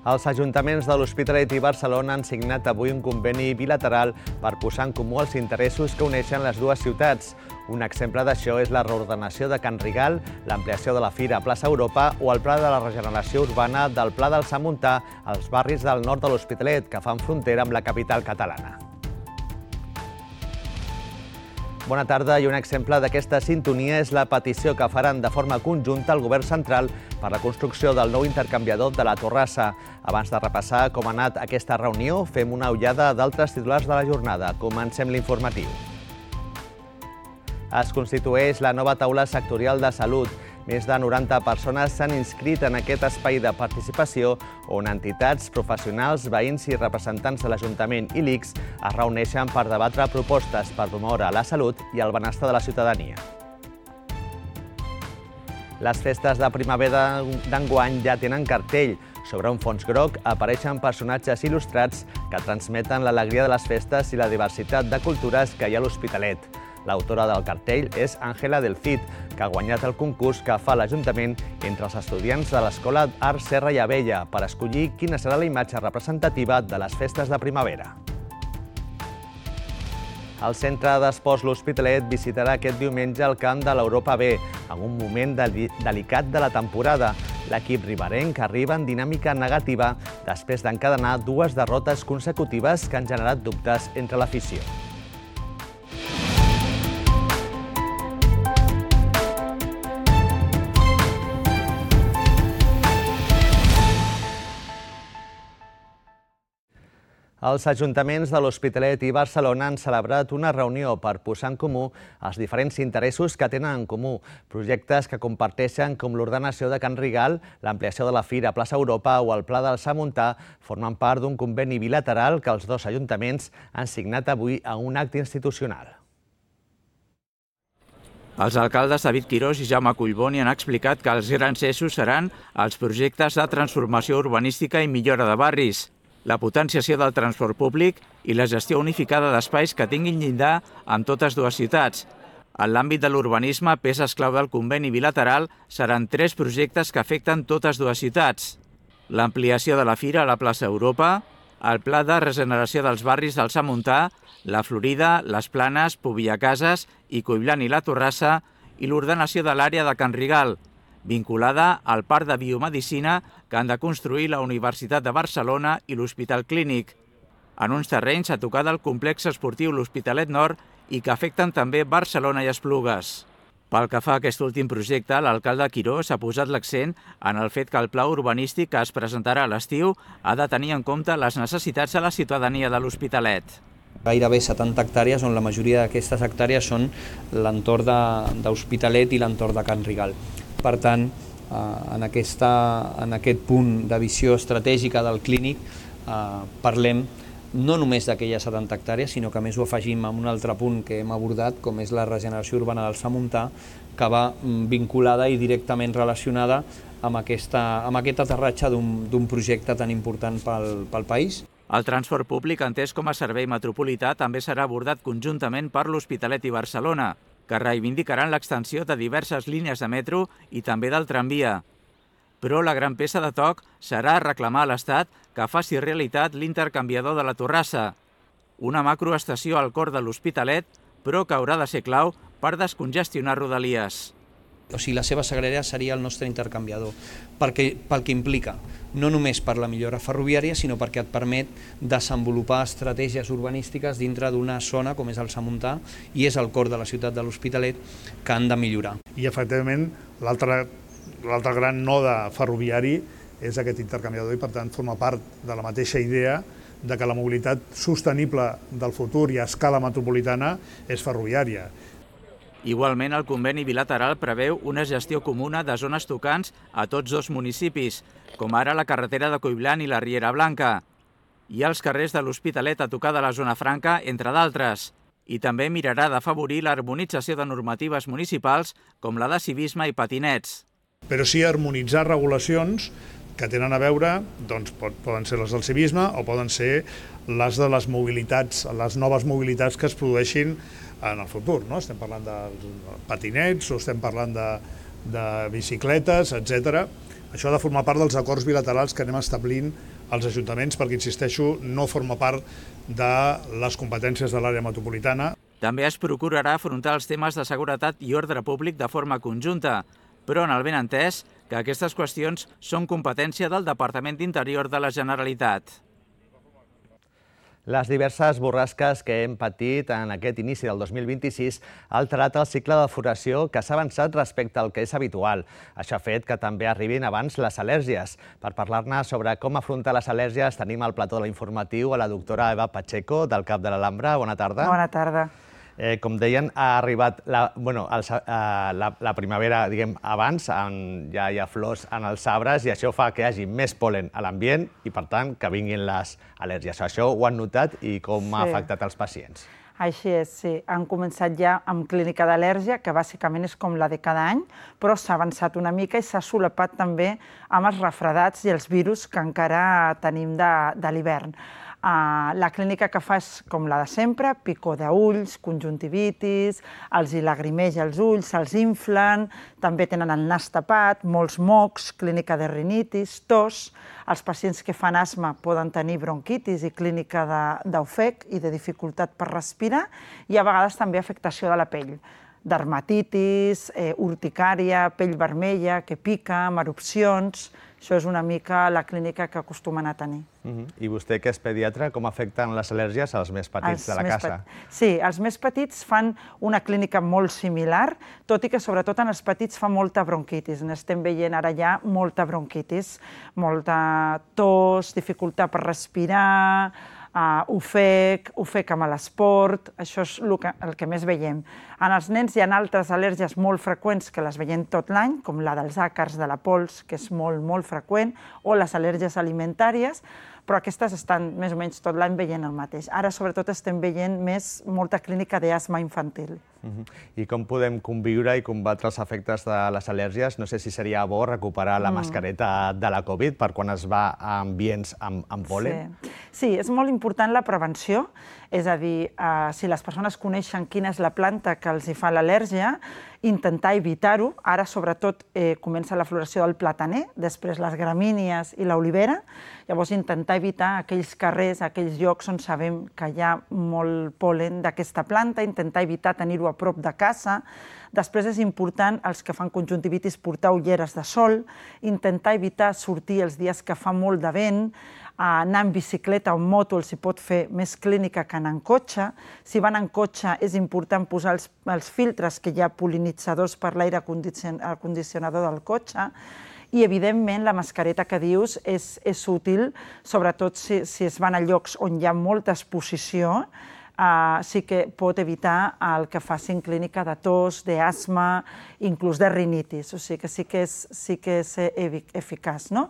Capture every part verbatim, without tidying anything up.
Els ajuntaments de l'Hospitalet i Barcelona han signat avui un conveni bilateral per posar en comú els interessos que uneixen les dues ciutats. Un exemple d'això és la reordenació de Can Rigal, l'ampliació de la Fira a Plaça Europa o el pla de la regeneració urbana del Pla del Samuntà als barris del nord de l'Hospitalet, que fan frontera amb la capital catalana. Bona tarda, i un exemple d'aquesta sintonia és la petició que faran de forma conjunta al Govern central per la construcció del nou intercanviador de la Torrassa. Abans de repassar com ha anat aquesta reunió, fem una ullada d'altres titulars de la jornada. Comencem l'informatiu. Es constitueix la nova taula sectorial de salut. Més de noranta persones s'han inscrit en aquest espai de participació on entitats, professionals, veïns i representants de l'Ajuntament i l'I C S es reuneixen per debatre propostes per promoure la salut i el benestar de la ciutadania. Les festes de primavera d'enguany ja tenen cartell. Sobre un fons groc apareixen personatges il·lustrats que transmeten l'alegria de les festes i la diversitat de cultures que hi ha a l'Hospitalet. L'autora del cartell és Àngela del Cid, que ha guanyat el concurs que fa l'Ajuntament entre els estudiants de l'Escola Art Serra i Abella per escollir quina serà la imatge representativa de les festes de primavera. El Centre d'Esports L'Hospitalet visitarà aquest diumenge el camp de l'Europa B, en un moment delicat de la temporada. L'equip riberenc arriba en dinàmica negativa després d'encadenar dues derrotes consecutives que han generat dubtes entre l'afició. Els ajuntaments de l'Hospitalet i Barcelona han celebrat una reunió per posar en comú els diferents interessos que tenen en comú. Projectes que comparteixen com l'ordenació de Can Rigal, l'ampliació de la Fira a Plaça Europa o el Pla del Samuntà formen part d'un conveni bilateral que els dos ajuntaments han signat avui a un acte institucional. Els alcaldes David Quirós i Jaume Collboni han explicat que els grans eixos seran els projectes de transformació urbanística i millora de barris, la potenciació del transport públic i la gestió unificada d'espais que tinguin llindar amb totes dues ciutats. En l'àmbit de l'urbanisme, peces clau del conveni bilateral seran tres projectes que afecten totes dues ciutats. L'ampliació de la Fira a la plaça Europa, el pla de regeneració dels barris del Samuntà, la Florida, les Planes, Pubillacases i Collblanc i la Torrassa i l'ordenació de l'àrea de Can Rigal, vinculada al Parc de Biomedicina que han de construir la Universitat de Barcelona i l'Hospital Clínic, en uns terrenys a tocar del complex esportiu l'Hospitalet Nord i que afecten també Barcelona i Esplugues. Pel que fa a aquest últim projecte, l'alcalde Quirós ha posat l'accent en el fet que el pla urbanístic que es presentarà a l'estiu ha de tenir en compte les necessitats de la ciutadania de l'Hospitalet. Gairebé setanta hectàrees, on la majoria d'aquestes hectàrees són l'entorn d'Hospitalet i l'entorn de Can Rigal. Per tant, en, aquesta, en aquest punt de visió estratègica del clínic eh, parlem no només d'aquelles setanta hectàrees, sinó que a més ho afegim en un altre punt que hem abordat, com és la regeneració urbana del Samuntà, que va vinculada i directament relacionada amb, aquesta, amb aquest aterratge d'un projecte tan important pel, pel país. El transport públic, entès com a servei metropolità, també serà abordat conjuntament per l'Hospitalet i Barcelona, que reivindicaran l'extensió de diverses línies de metro i també del tramvia. Però la gran peça de toc serà reclamar a l'Estat que faci realitat l'intercanviador de la Torrassa, una macroestació al cor de l'Hospitalet, però que haurà de ser clau per descongestionar Rodalies. O sigui, la seva sagrera seria el nostre intercanviador, perquè, pel que implica, no només per la millora ferroviària, sinó perquè et permet desenvolupar estratègies urbanístiques dintre d'una zona com és el Samuntà i és el cor de la ciutat de l'Hospitalet que han de millorar. I efectivament l'altre l'altre gran node ferroviari és aquest intercanviador i per tant forma part de la mateixa idea de que la mobilitat sostenible del futur i a escala metropolitana és ferroviària. Igualment, el conveni bilateral preveu una gestió comuna de zones tocants a tots dos municipis, com ara la carretera de Collblanc i la Riera Blanca, i els carrers de l'Hospitalet a tocar de la zona franca, entre d'altres. I també mirarà d'afavorir l'harmonització de normatives municipals com la de civisme i patinets. Però sí harmonitzar regulacions que tenen a veure, doncs poden ser les del civisme o poden ser les de les mobilitats, les noves mobilitats que es produeixin en el futur, no? Estem parlant de patinets o estem parlant de, de bicicletes, etcètera. Això ha de formar part dels acords bilaterals que anem establint als ajuntaments, perquè, insisteixo, no forma part de les competències de l'àrea metropolitana. També es procurarà afrontar els temes de seguretat i ordre públic de forma conjunta, però en el benentès que aquestes qüestions són competència del Departament d'Interior de la Generalitat. Les diverses borrasques que hem patit en aquest inici del dos mil vint-i-sis ha alterat el cicle de floració que s'ha avançat respecte al que és habitual. Això ha fet que també arribin abans les al·lèrgies. Per parlar-ne sobre com afrontar les al·lèrgies tenim al plató de l'informatiu a la doctora Eva Pacheco, del CAP de l'Alhambra. Bona tarda. Bona tarda. Eh, com deien, ha arribat la, bueno, el, eh, la, la primavera, diguem, abans, en, ja hi ha flors en els arbres i això fa que hi hagi més pol·len a l'ambient i, per tant, que vinguin les al·lèrgies. Això ho han notat i com sí. ha afectat els pacients? Així és, sí. Han començat ja amb clínica d'al·lèrgia, que bàsicament és com la de cada any, però s'ha avançat una mica i s'ha solapat també amb els refredats i els virus que encara tenim de, de l'hivern. Uh, la clínica que fa és com la de sempre, picor d'ulls, conjuntivitis, els hi lagrimeja els ulls, se'ls inflen, també tenen el nas tapat, molts mocs, clínica de rinitis, tos. Els pacients que fan asma poden tenir bronquitis i clínica d'ofec i de dificultat per respirar i a vegades també afectació de la pell. Dermatitis, eh, urticària, pell vermella, que pica, amb erupcions. Això és una mica la clínica que acostumen a tenir. Uh-huh. I vostè, que és pediatra, com afecten les al·lèrgies als més petits de la casa? Sí, els més petits fan una clínica molt similar, tot i que sobretot en els petits fa molta bronquitis. N'estem veient ara ja molta bronquitis, molta tos, dificultat per respirar, Uh, ofec, ofec amb l'esport, això és el que, el que més veiem. En els nens hi ha altres al·lèrgies molt freqüents que les veiem tot l'any, com la dels àcars, de la pols, que és molt, molt freqüent, o les al·lèrgies alimentàries, però aquestes estan més o menys tot l'any veient el mateix. Ara, sobretot, estem veient més molta clínica d'asma infantil. Uh-huh. I com podem conviure i combatre els efectes de les al·lèrgies? No sé si seria bo recuperar la mm. mascareta de la Covid per quan es va a ambients amb, amb pol·len? Sí. sí, és molt important la prevenció, és a dir, eh, si les persones coneixen quina és la planta que els hi fa l'al·lèrgia, intentar evitar-ho. Ara, sobretot, eh, comença la floració del plataner, després les gramínies i l'olivera. Llavors, intentar evitar aquells carrers, aquells llocs on sabem que hi ha molt pol·len d'aquesta planta, intentar evitar tenir-ho a prop de casa. Després és important, els que fan conjuntivitis, portar ulleres de sol, intentar evitar sortir els dies que fa molt de vent, anar en bicicleta o en moto els hi pot fer més clínica que anar en cotxe. Si van en cotxe és important posar els, els filtres, que hi ha pol·linitzadors per l'aire condicionador del cotxe, i evidentment la mascareta que dius és, és útil, sobretot si, si es van a llocs on hi ha molta exposició, Uh, sí que pot evitar el que facin clínica de tos, d'asma, inclús de rinitis. O sigui que sí que és, sí que és eficaç, no?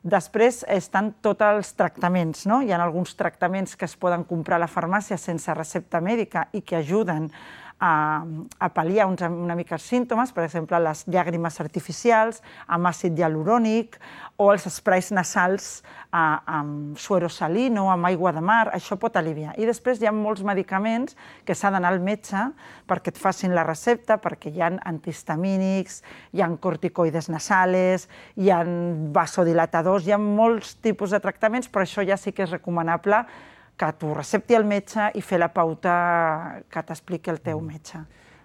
Després estan tots els tractaments, no? Hi ha alguns tractaments que es poden comprar a la farmàcia sense recepta mèdica i que ajuden a, a pal·liar uns, una mica els símptomes, per exemple, les llàgrimes artificials amb àcid hialurònic o els esprais nasals a, amb suero salino, amb aigua de mar, això pot aliviar. I després hi ha molts medicaments que s'ha d'anar al metge perquè et facin la recepta, perquè hi ha antihistamínics, hi ha corticoides nasales, hi ha vasodilatadors, hi ha molts tipus de tractaments, però això ja sí que és recomanable que t'ho recepti el metge i fer la pauta que t'expliqui el teu metge.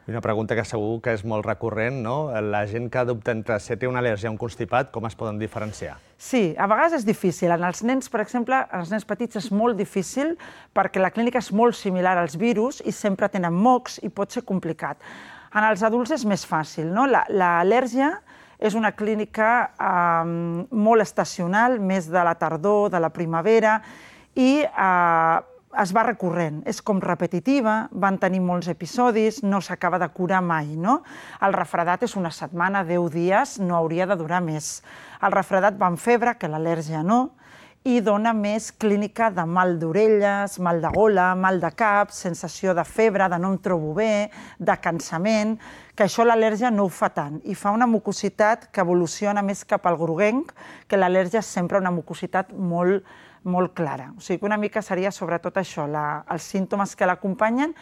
I una pregunta que segur que és molt recurrent, no? La gent que adopta entre si té una al·lèrgia o un constipat, com es poden diferenciar? Sí, a vegades és difícil. En els nens, per exemple, en els nens petits és molt difícil perquè la clínica és molt similar als virus i sempre tenen mocs i pot ser complicat. En els adults és més fàcil, no? L'al·lèrgia és una clínica eh, molt estacional, més de la tardor, de la primavera, i eh, es va recurrent, és com repetitiva, van tenir molts episodis, no s'acaba de curar mai, no? El refredat és una setmana, deu dies, no hauria de durar més. El refredat va amb febre, que l'al·lèrgia no, i dona més clínica de mal d'orelles, mal de gola, mal de cap, sensació de febre, de no em trobo bé, de cansament, que això l'al·lèrgia no ho fa tant, i fa una mucositat que evoluciona més cap al groguenc, que l'al·lèrgia és sempre una mucositat molt molt clara. O sigui que una mica seria sobretot això, la, els símptomes que l'acompanyen,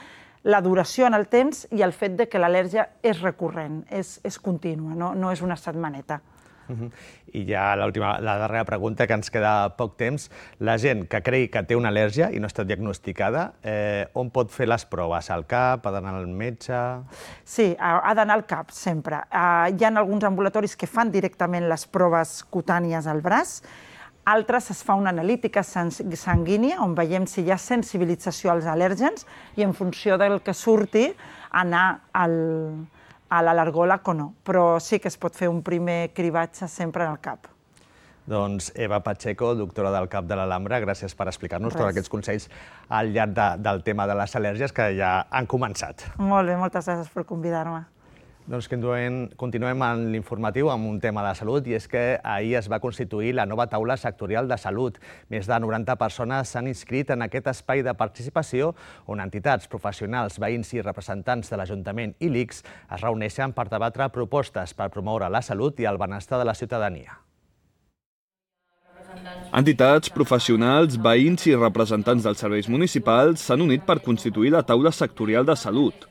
la duració en el temps i el fet de que l'al·lèrgia és recurrent, és, és contínua, no, no és una setmaneta. I ja l'última, la darrera pregunta, que ens queda poc temps. La gent que cregui que té una al·lèrgia i no ha estat diagnosticada, on pot fer les proves? Al cap? Ha d'anar al metge? Sí, ha d'anar al cap, sempre. Hi ha alguns ambulatoris que fan directament les proves cutànies al braç, altres es fa una analítica sanguínia on veiem si hi ha sensibilització als al·lèrgens i en funció del que surti anar al a l'al·lergòleg o no, però sí que es pot fer un primer cribatge sempre al cap. Doncs Eva Pacheco, doctora del CAP de l'Alhambra, gràcies per explicar-nos tots aquests consells al llarg del tema de les al·lèrgies que ja han començat. Molt bé, moltes gràcies per convidar-me. Doncs continuem en l'informatiu amb un tema de salut, i és que ahir es va constituir la nova taula sectorial de salut. Més de noranta persones s'han inscrit en aquest espai de participació on entitats, professionals, veïns i representants de l'Ajuntament i l'I C S es reuneixen per debatre propostes per promoure la salut i el benestar de la ciutadania. Entitats, professionals, veïns i representants dels serveis municipals s'han unit per constituir la taula sectorial de salut.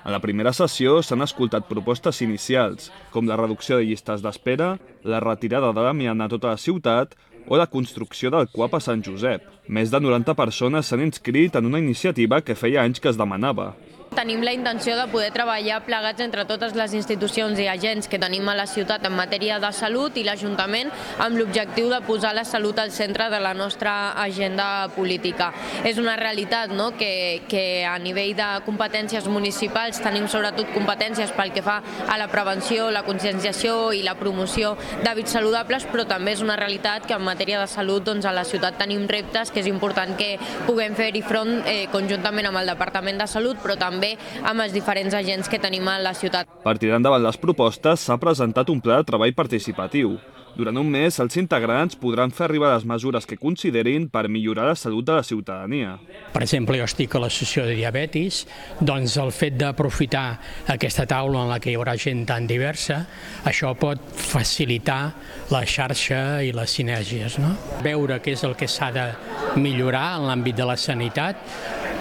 A la primera sessió s'han escoltat propostes inicials, com la reducció de llistes d'espera, la retirada de l'amiant a tota la ciutat o la construcció del C U A P a Sant Josep. Més de noranta persones s'han inscrit en una iniciativa que feia anys que es demanava. Tenim la intenció de poder treballar plegats entre totes les institucions i agents que tenim a la ciutat en matèria de salut i l'Ajuntament amb l'objectiu de posar la salut al centre de la nostra agenda política. És una realitat que a nivell de competències municipals tenim sobretot competències pel que fa a la prevenció, la conscienciació i la promoció d'hàbits saludables, però també és una realitat que en matèria de salut a la ciutat tenim reptes que és important que puguem fer-hi front conjuntament amb el Departament de Salut, però també amb els diferents agents que tenim a la ciutat. Per tirar endavant les propostes, s'ha presentat un pla de treball participatiu. Durant un mes, els integrants podran fer arribar les mesures que considerin per millorar la salut de la ciutadania. Per exemple, jo estic a l'associació de diabetis, doncs el fet d'aprofitar aquesta taula en la que hi haurà gent tan diversa, això pot facilitar la xarxa i les sinergies. Veure què és el que s'ha de millorar en l'àmbit de la sanitat,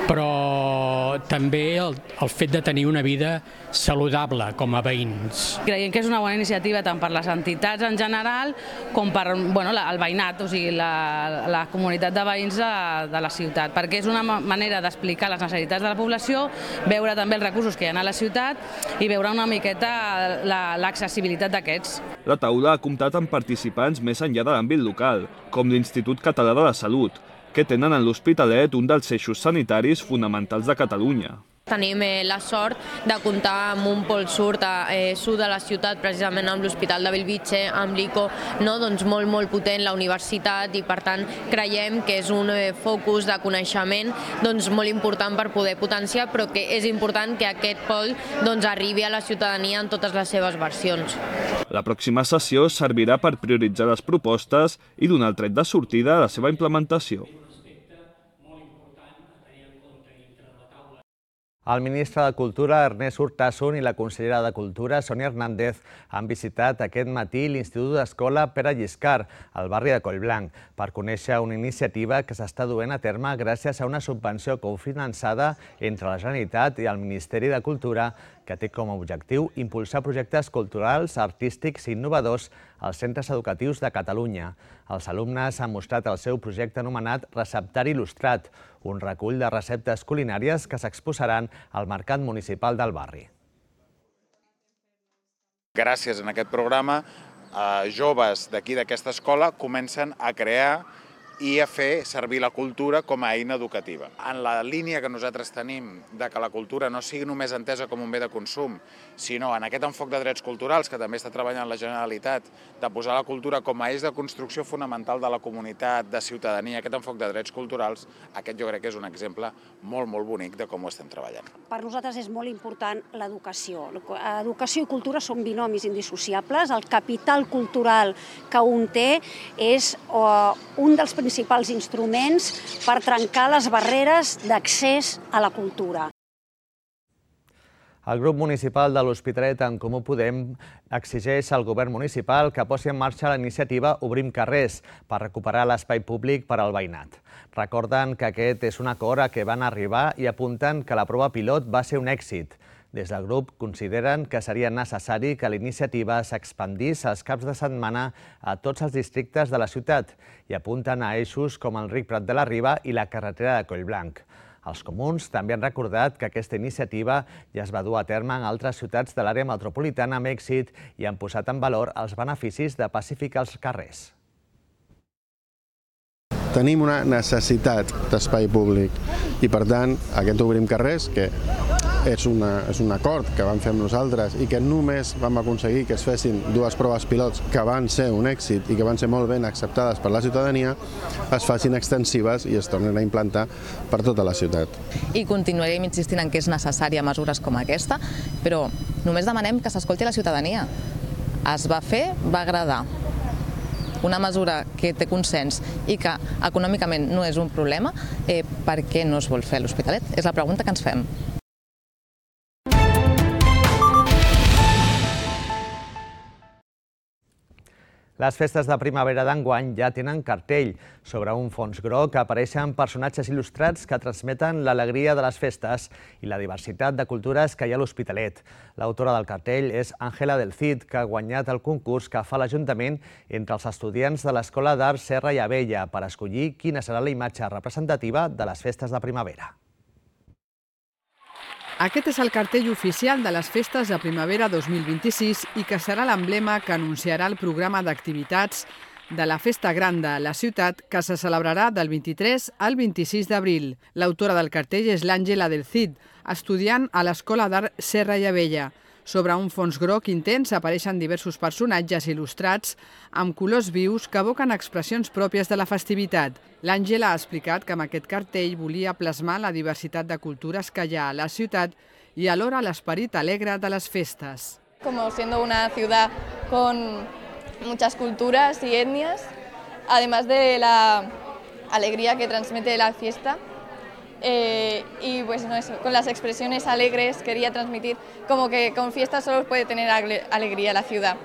però també el fet de tenir una vida saludable com a veïns. Creiem que és una bona iniciativa tant per les entitats en general com per el veïnat, o sigui, la comunitat de veïns de la ciutat, perquè és una manera d'explicar les necessitats de la població, veure també els recursos que hi ha a la ciutat i veure una miqueta l'accessibilitat d'aquests. La taula ha comptat amb participants més enllà de l'àmbit local, com l'Institut Català de la Salut, que tenen en l'Hospitalet un dels eixos sanitaris fonamentals de Catalunya. Tenim la sort de comptar amb un pol sud de la ciutat, precisament amb l'Hospital de Bellvitge, amb l'I C O, doncs molt, molt potent, la universitat, i per tant creiem que és un focus de coneixement molt important per poder potenciar, però que és important que aquest pol arribi a la ciutadania en totes les seves versions. La pròxima sessió servirà per prioritzar les propostes i donar el tret de sortida a la seva implementació. El ministre de Cultura, Ernest Urtasun, i la consellera de Cultura, Sònia Hernández, han visitat aquest matí l'Institut d'Escola Pere Lliscar, al barri de Collblanc, per conèixer una iniciativa que s'està duent a terme gràcies a una subvenció cofinançada entre la Generalitat i el Ministeri de Cultura, que té com a objectiu impulsar projectes culturals, artístics i innovadors als centres educatius de Catalunya. Els alumnes han mostrat el seu projecte anomenat Receptari Il·lustrat, un recull de receptes culinàries que s'exposaran al Mercat Municipal del barri. Gràcies a aquest programa, joves d'aquí d'aquesta escola comencen a crear i a fer servir la cultura com a eina educativa. En la línia que nosaltres tenim de que la cultura no sigui només entesa com un bé de consum, sinó en aquest enfoc de drets culturals que també està treballant la Generalitat, de posar la cultura com a eix de construcció fonamental de la comunitat, de ciutadania, aquest enfoc de drets culturals, aquest jo crec que és un exemple molt, molt bonic de com ho estem treballant. Per nosaltres és molt important l'educació. Educació i cultura són binomis indissociables. El capital cultural que un té és un dels principals instruments per trencar les barreres d'accés a la cultura. El grup municipal de l'Hospitalet en Comú Podem exigeix al govern municipal que posi en marxa la iniciativa Obrim carrers per recuperar l'espai públic per al veïnat. Recorden que aquest és un acord a què van arribar i apunten que la prova pilot va ser un èxit. Des del grup consideren que seria necessari que la iniciativa s'expandís als caps de setmana a tots els districtes de la ciutat i apunten a eixos com el Ric Prat de la Riba i la carretera de Collblanc. Els comuns també han recordat que aquesta iniciativa ja es va dur a terme en altres ciutats de l'àrea metropolitana amb èxit i han posat en valor els beneficis de pacificar els carrers. Tenim una necessitat d'espai públic i, per tant, aquest Obrim Carrers, que és, una, és un acord que vam fer amb nosaltres i que només vam aconseguir que es fessin dues proves pilots que van ser un èxit i que van ser molt ben acceptades per la ciutadania, es facin extensives i es tornin a implantar per tota la ciutat. I continuarem insistint en que és necessària mesures com aquesta, però només demanem que s'escolti la ciutadania. Es va fer, va agradar. Una mesura que té consens i que econòmicament no és un problema, eh, per què no es vol fer a l'Hospitalet? És la pregunta que ens fem. Les festes de primavera d'enguany ja tenen cartell. Sobre un fons groc apareixen personatges il·lustrats que transmeten l'alegria de les festes i la diversitat de cultures que hi ha a l'Hospitalet. L'autora del cartell és Ángela del Cid, que ha guanyat el concurs que fa l'Ajuntament entre els estudiants de l'Escola d'Art Serra i Abella per escollir quina serà la imatge representativa de les festes de primavera. Aquest és el cartell oficial de les festes de primavera dos mil vint-i-sis i que serà l'emblema que anunciarà el programa d'activitats de la Festa Gran de la ciutat que se celebrarà del vint-i-tres al vint-i-sis d'abril. L'autora del cartell és l'Àngela del Cid, estudiant a l'Escola d'Art Serra i Abella. Sobre un fons groc intens apareixen diversos personatges il·lustrats amb colors vius que evoquen expressions pròpies de la festivitat. L'Àngela ha explicat que amb aquest cartell volia plasmar la diversitat de cultures que hi ha a la ciutat i alhora l'esperit alegre de les festes. Como siendo una ciudad con muchas culturas y etnias, además de la alegría que transmite la fiesta, Eh, y pues no eso, con las expresiones alegres quería transmitir como que con fiestas solo puede tener alegría la ciudad.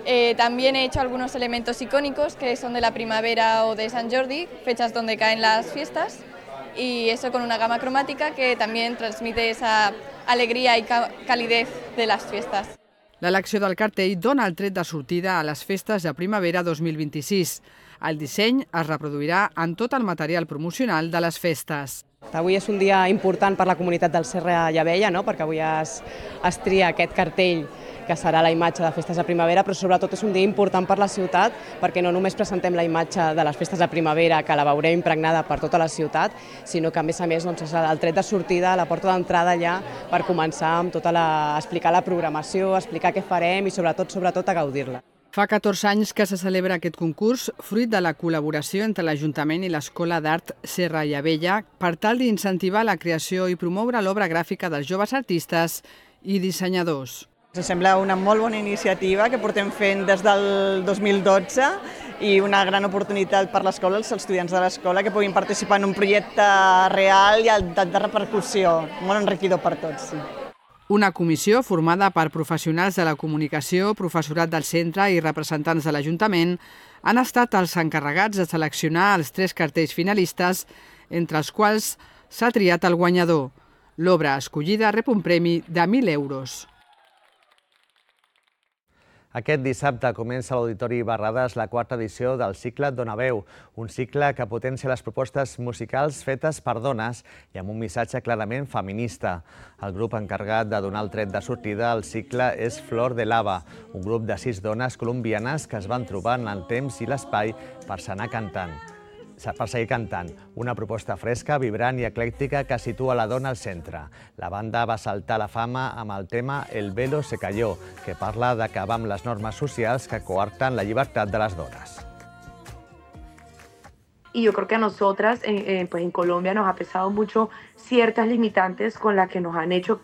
Eh, también he hecho algunos elementos icónicos que son de la primavera o de Sant Jordi, fechas donde caen las fiestas, y eso con una gama cromática que también transmite esa alegría y calidez de las fiestas. L'elecció del cartell dona el tret de sortida a les festes de primavera dos mil vint-i-sis. El disseny es reproduirà en tot el material promocional de les festes. Avui és un dia important per la comunitat del Serra i Abella, no? Perquè avui es, es tria aquest cartell que serà la imatge de festes de primavera, però sobretot és un dia important per la ciutat perquè no només presentem la imatge de les festes de primavera, que la veurem impregnada per tota la ciutat, sinó que a més a més doncs, és el tret de sortida, la porta d'entrada allà per començar amb tota la, a explicar la programació, a explicar què farem i sobretot, sobretot a gaudir-la. Fa catorze anys que se celebra aquest concurs, fruit de la col·laboració entre l'Ajuntament i l'Escola d'Art Serra i Abella per tal d'incentivar la creació i promoure l'obra gràfica dels joves artistes i dissenyadors. Ens sembla una molt bona iniciativa que portem fent des del dos mil dotze i una gran oportunitat per l'escola, els estudiants de l'escola, que puguin participar en un projecte real i de repercussió, molt enriquidor per tots. Sí. Una comissió formada per professionals de la comunicació, professorat del centre i representants de l'Ajuntament han estat els encarregats de seleccionar els tres cartells finalistes, entre els quals s'ha triat el guanyador. L'obra escollida rep un premi de mil euros. Aquest dissabte comença a l'Auditori Barrades la quarta edició del cicle Dona Veu, un cicle que potencia les propostes musicals fetes per dones i amb un missatge clarament feminista. El grup encarregat de donar el tret de sortida al cicle és Flor de Lava, un grup de sis dones colombianes que es van trobar en el temps i l'espai per anar cantant. per seguir cantant. Una proposta fresca, vibrant i eclèctica que situa la dona al centre. La banda va saltar a la fama amb el tema El velo se cayó, que parla d'acabar amb les normes socials que coarten la llibertat de les dones. Y yo creo que a nosotras, eh, pues en Colombia, nos ha pesado mucho ciertas limitantes con las que nos han hecho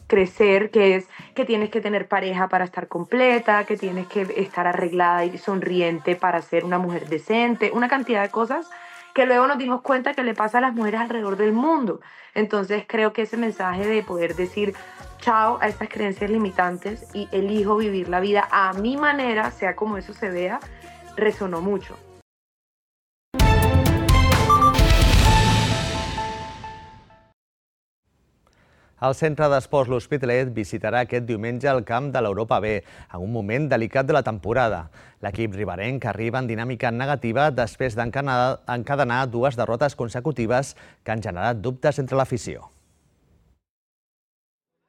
crecer, que es que tienes que tener pareja para estar completa, que tienes que estar arreglada y sonriente para ser una mujer decente, una cantidad de cosas que luego nos dimos cuenta que le pasa a las mujeres alrededor del mundo. Entonces creo que ese mensaje de poder decir chao a esas creencias limitantes y elijo vivir la vida a mi manera, sea como eso se vea, resonó mucho. El Centre d'Esports L'Hospitalet visitarà aquest diumenge el camp de l'Europa B, en un moment delicat de la temporada. L'equip riberenc arriba en dinàmica negativa després d'encadenar dues derrotes consecutives que han generat dubtes entre l'afició.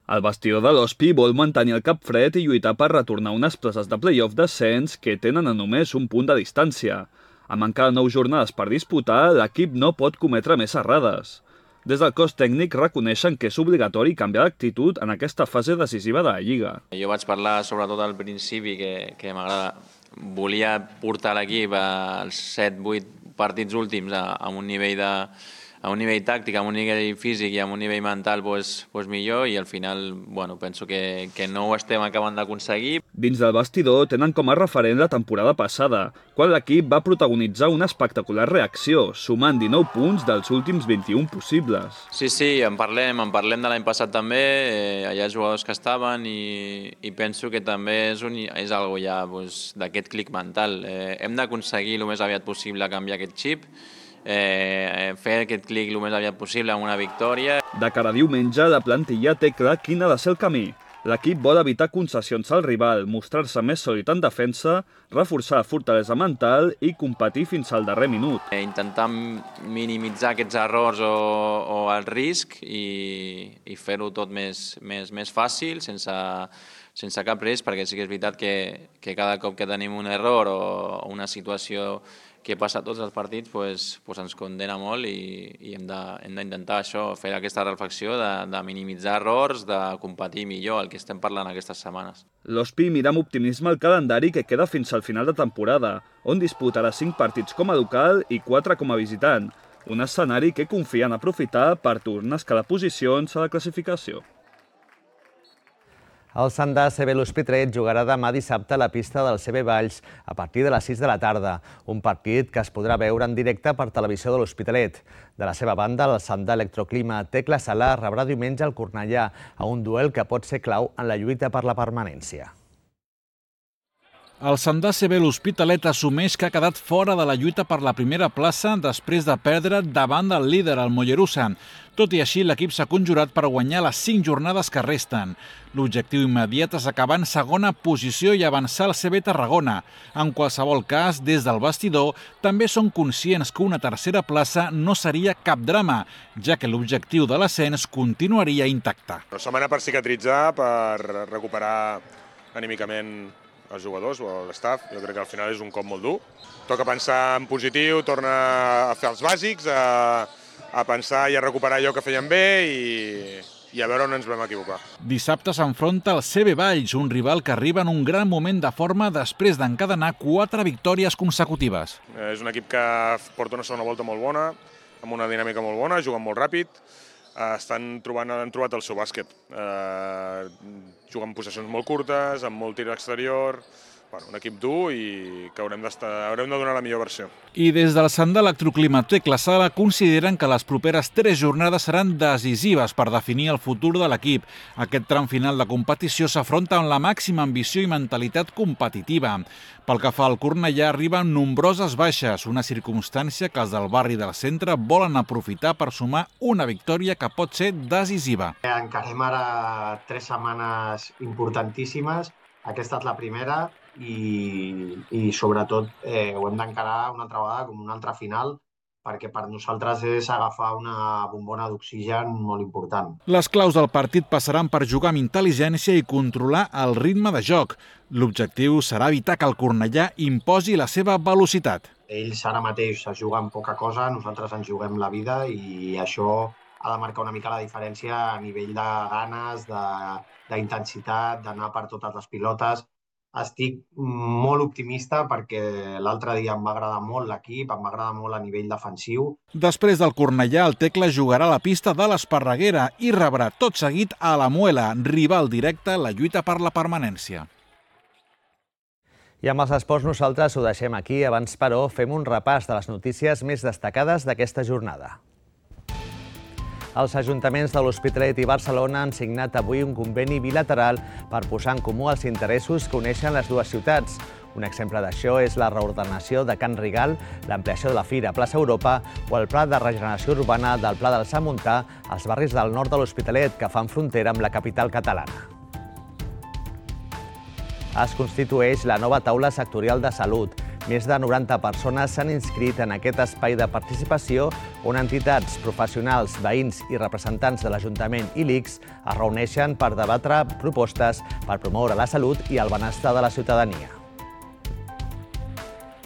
El vestidor de l'Hospi vol mantenir el cap fred i lluitar per retornar unes places de play-off d'ascens que tenen a només un punt de distància. Amb encara nou jornades per disputar, l'equip no pot cometre més errades. Des del cos tècnic reconeixen que és obligatori canviar d'actitud en aquesta fase decisiva de la Lliga. Jo vaig parlar sobretot al principi que, que m'agrada. Volia portar l'equip als set vuit partits últims a, a un nivell de, a un nivell tàctic, a un nivell físic i a un nivell mental pues, pues millor i al final bueno, penso que, que no ho estem acabant d'aconseguir. Dins del vestidor tenen com a referent la temporada passada, quan l'equip va protagonitzar una espectacular reacció, sumant dinou punts dels últims vint-i-un possibles. Sí, sí, en parlem, en parlem de l'any passat també, eh, hi ha jugadors que estaven i, i penso que també és, un, és algo ja pues, d'aquest clic mental. Eh, hem d'aconseguir el més aviat possible canviar aquest xip, Eh, fer aquest clic el més aviat possible amb una victòria. De cara a diumenge, la plantilla té clar quin ha de ser el camí. L'equip vol evitar concessions al rival, mostrar-se més sòlid en defensa, reforçar la fortalesa mental i competir fins al darrer minut. Eh, intentar minimitzar aquests errors o, o el risc i, i fer-ho tot més, més, més fàcil, sense, sense cap risc, perquè sí que és veritat que, que cada cop que tenim un error o una situació que passa a tots els partits pues, pues ens condena molt i, i hem d'intentar això, fer aquesta reflexió de, de minimitzar errors, de competir millor, el que estem parlant aquestes setmanes. L'Hospi mira amb optimisme el calendari que queda fins al final de temporada, on disputarà cinc partits com a local i quatre com a visitant, un escenari que confien aprofitar per tornar a escalar posicions a la classificació. El Sandà C B L'Hospitalet jugarà demà dissabte a la pista del C B Valls a partir de les sis de la tarda, un partit que es podrà veure en directe per televisió de l'Hospitalet. De la seva banda, el Sandà Electroclima Tecla Sala rebrà diumenge el Cornellà a un duel que pot ser clau en la lluita per la permanència. El Sandà C B L'Hospitalet assumeix que ha quedat fora de la lluita per la primera plaça després de perdre davant del líder, el Mollerussa. Tot i així, l'equip s'ha conjurat per guanyar les cinc jornades que resten. L'objectiu immediat és acabar en segona posició i avançar al C B Tarragona. En qualsevol cas, des del vestidor, també són conscients que una tercera plaça no seria cap drama, ja que l'objectiu de l'ascens continuaria intacte. Una setmana per cicatritzar, per recuperar anímicament els jugadors o l'estaf. Jo crec que al final és un cop molt dur. Toca pensar en positiu, torna a fer els bàsics, a, a pensar i a recuperar allò que feien bé i, i a veure on ens vam equivocar. Dissabte s'enfronta al C B Valls, un rival que arriba en un gran moment de forma després d'encadenar quatre victòries consecutives. És un equip que porta una segona volta molt bona, amb una dinàmica molt bona, jugant molt ràpid, estan trobant, han trobat el seu bàsquet. Eh, juguen possessions molt curtes, amb molt tir exterior, bueno, un equip dur i que haurem, haurem de donar la millor versió. I des del Sandà Electroclima Tecla Sala consideren que les properes tres jornades seran decisives per definir el futur de l'equip. Aquest tram final de competició s'afronta amb la màxima ambició i mentalitat competitiva. Pel que fa al Cornellà, arriben nombroses baixes, una circumstància que els del barri del centre volen aprofitar per sumar una victòria que pot ser decisiva. Encarem ara tres setmanes importantíssimes. Aquesta és la primera i, i sobretot eh, ho hem d'encarar una altra vegada com una altra final, perquè per nosaltres és agafar una bombona d'oxigen molt important. Les claus del partit passaran per jugar amb intel·ligència i controlar el ritme de joc. L'objectiu serà evitar que el Cornellà imposi la seva velocitat. Ells ara mateix es juguen poca cosa, nosaltres ens juguem la vida i això ha de marcar una mica la diferència a nivell de ganes, d'intensitat, d'anar per totes les pilotes. Estic molt optimista perquè l'altre dia em va agradar molt l'equip, em va agradar molt a nivell defensiu. Després del Cornellà, el Tecla jugarà a la pista de l'Esparreguera i rebrà tot seguit a la Muela, rival directe en la lluita per la permanència. I amb els esports nosaltres ho deixem aquí. Abans, però, fem un repàs de les notícies més destacades d'aquesta jornada. Els ajuntaments de l'Hospitalet i Barcelona han signat avui un conveni bilateral per posar en comú els interessos que uneixen les dues ciutats. Un exemple d'això és la reordenació de Can Rigal, l'ampliació de la Fira a plaça Europa o el pla de regeneració urbana del Pla del Sant Montà als barris del nord de l'Hospitalet, que fan frontera amb la capital catalana. Es constitueix la nova taula sectorial de salut. Més de noranta persones s'han inscrit en aquest espai de participació on entitats, professionals, veïns i representants de l'Ajuntament i l'I C S es reuneixen per debatre propostes per promoure la salut i el benestar de la ciutadania.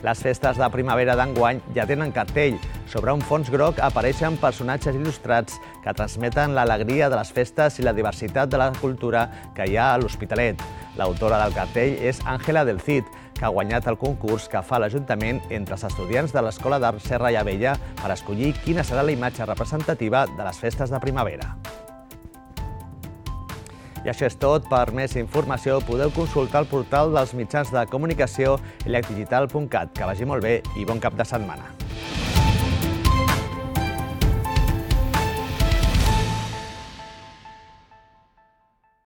Les festes de primavera d'enguany ja tenen cartell. Sobre un fons groc apareixen personatges il·lustrats que transmeten l'alegria de les festes i la diversitat de la cultura que hi ha a l'Hospitalet. L'autora del cartell és Àngela del Cid, que ha guanyat el concurs que fa l'Ajuntament entre els estudiants de l'Escola d'Art Serra i Abella per escollir quina serà la imatge representativa de les festes de primavera. I això és tot. Per més informació podeu consultar el portal dels mitjans de comunicació elecdigital punt cat. Que vagi molt bé i bon cap de setmana.